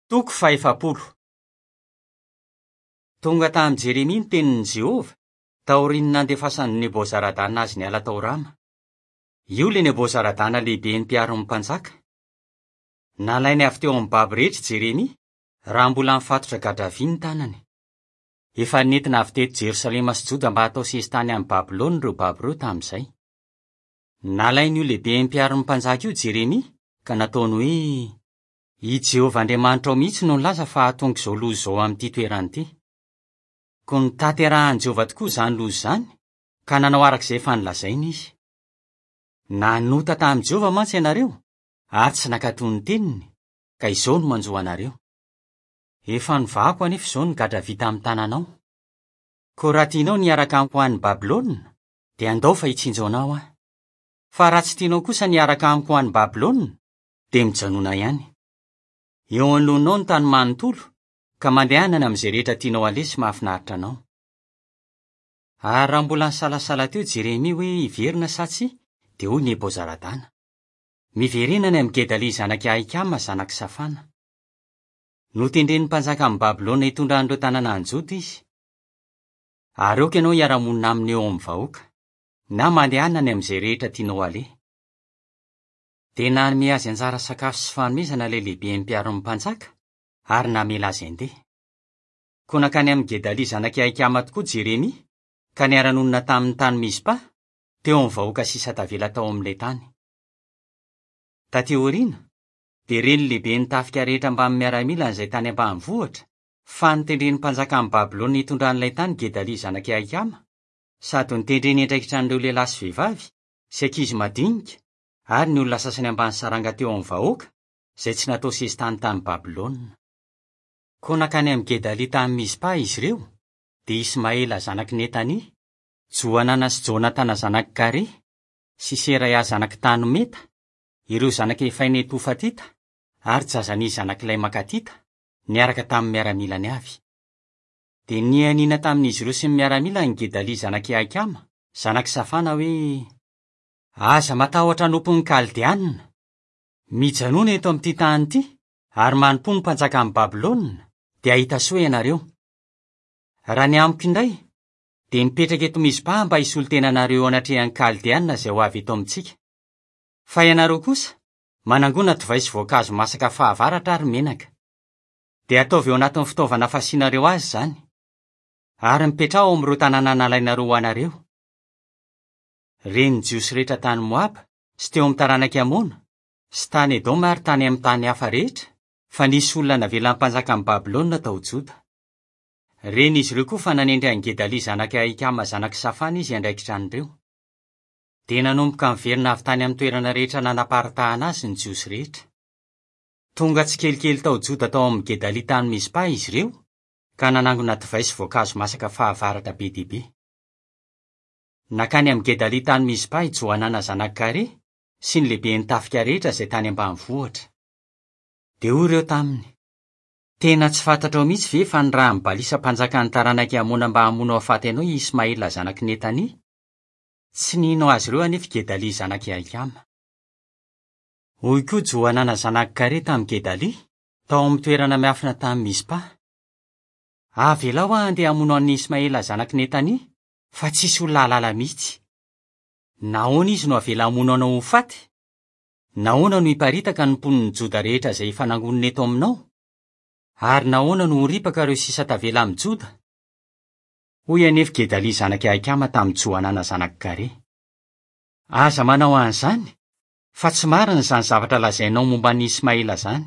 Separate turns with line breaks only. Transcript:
Toko fahefapolo. Tonga tamin'i Jeremia ny tenin'i Jehovah, taorian'ny nandefasan'i Nebozaradana azy niala tao Rama. Io ilay Nebozaradana lehiben'ny mpiaro ny mpanjaka. Nalainy avy teo amin'ny babo rehetra i Jeremia, raha mbola nifatotra gadra vy ny tanany. Efa nentina avy teto Jerosalema sy Joda mba hatao sesitany any Babylona ireo babo ireo tamin'izay. Nalain'io lehiben'ny mpiaro ny mpanjaka io Jeremia, ka nataony hoe, I Jehovah Andriamanitrao mihitsy no nilaza fa hahatonga izao loza izao amin'ity toerana ity. Koa notanterahin'i Jehovah tokoa izany loza izany, ka nanao araka izay efa nolazainy izy. Nanota tamin'i Jehovah mantsy ianareo, ary tsy nankatò ny teniny, ka izao no manjo anareo. Efa novahako anefa izao ny gadra vita amin'ny tananao. Koa raha tianao ny hiaraka amiko ho any Babylona, dia andao fa hitsinjo anao aho. Fa raha tsy tianao kosa ny hiaraka amiko ho any Babylona, dia mijanona ihany. Eo anoloanao ny tany manontolo, ka mandehana any amin'izay rehetra tianao haleha sy mahafinaritra anao. Ary raha mbola nisalasala teo Jeremia hoe hiverina sa tsia, dia hoy Nebozaradana, Miverena any amin'i Gedalia zanak'i Ahikama zanak'i Safana. Notendren'ny mpanjakan'i Babylona hitondra an'ireo tanàna any Joda izy. Ary aoka ianao hiara-monina aminy eo amin'ny vahoaka, na mandehana any amin'izay rehetra tianao haleha. Dia nanome azy anjara sakafo sy fanomezana ilay lehiben'ny mpiaro ny mpanjaka, ary namela azy handeha. Koa nankany amin'i Gedalia zanak'i Ahikama tokoa Jeremia, ka niara-nonina taminy tany Mizpa, teo amin'ny vahoaka sisa tavela tao amin'ilay tany. Tatỳ aoriana, dia ren'ny lehiben'ny tafika rehetra mbamin'ny miaramilany izay tany ambanivohitra, fa notendren'ny mpanjakan'i Babylona hitondra an'ilay tany Gedalia zanak'i Ahikama, sady notendreny hiandraikitra an'ireo lehilahy sy vehivavy, sy ankizy madinika, ary ny olona sasany ambany saranga teo amin'ny vahoaka, izay tsy natao sesitany tany Babylona. Koa nankany amin'i Gedalia tany Mizpa izy ireo, dia Ismaela zanak'i Netania, Johanana sy Jonatana zanak'i Karea, sy Seraia zanak'i Tanometa, ireo zanak'i Efainetofatita, ary Jazania zanak'ilay Makatita, niaraka tamin'ny miaramilany avy. Dia nianiana tamin'izy ireo sy ny miaramilany Gedalia zanak'i Ahikama, zanak'i Safana, hoe, Aza matahotra hanompo ny Kaldeanina. Mijanòna eto amin'ity tany ity, ary manompoa ny mpanjakan'i Babylona, dia hahita soa ianareo. Raha ny amiko indray, dia mipetraka eto Mizpa mba hisolo tena anareo eo anatrehan'ny Kaldeanina izay ho avy eto amintsika. Fa ianareo kosa, manangona divay sy voankazo masaka fahavaratra ary menaka. Dia ataovy eo anatin'ny fitaovana fasianareo azy izany. Ary mipetraha ao amin'ireo tanàna nalainareo ho anareo. Ren'ny Jiosy rehetra tany Moaba, sy teo amin'ny taranak'i Amona, sy tany Edoma ary tany amin'ny tany hafa rehetra, fa nisy olona navelan'ny mpanjakan'i Babylona tao Joda. Ren'izy ireo koa fa nanendry an'i Gedalia zanak'i Ahikama zanak'i Safana izy hiandraikitra an'ireo. Dia nanomboka niverina avy tany amin'ny toerana rehetra nanaparitahana azy ny Jiosy rehetra. Tonga tsikelikely tao Joda tao amin'i Gedalia tany Mizpa izy ireo, ka nanangona divay sy voankazo masaka fahavaratra be dia be. Nankany amin'i Gedalia tany Mizpa i Johanana zanak'i Karea sy ny lehiben'ny tafika rehetra izay tany ambanivohitra. Dia hoy ireo taminy, Tena tsy fantatrao mihitsy ve fa nirahin'i Balisa mpanjakan'ny taranak'i Amona mba hamono hahafaty anao i Ismaela zanak'i Netania? Tsy nino azy ireo anefa i Gedalia zanak'i Ahikama. Hoy koa Johanana zanak'i Karea tamin'i Gedalia, tao amin'ny toerana miafina tany Mizpa, Avelao aho handeha hamono an'i Ismaela zanak'i Netania, fa tsy hisy olona hahalala mihitsy. Nahoana izy no avela hamono anao ho faty? Nahoana no hiparitaka ny mponin'i Joda rehetra izay efa nangonina eto aminao? Ary nahoana no ho ripaka ireo sisa tavela amin'i Joda? Hoy anefa Gedalia zanak'i Ahikama tamin'i Johanana zanak'i Karea, Aza manao an'izany, fa tsy marina izany zavatra lazainao momba an'i Ismaela izany.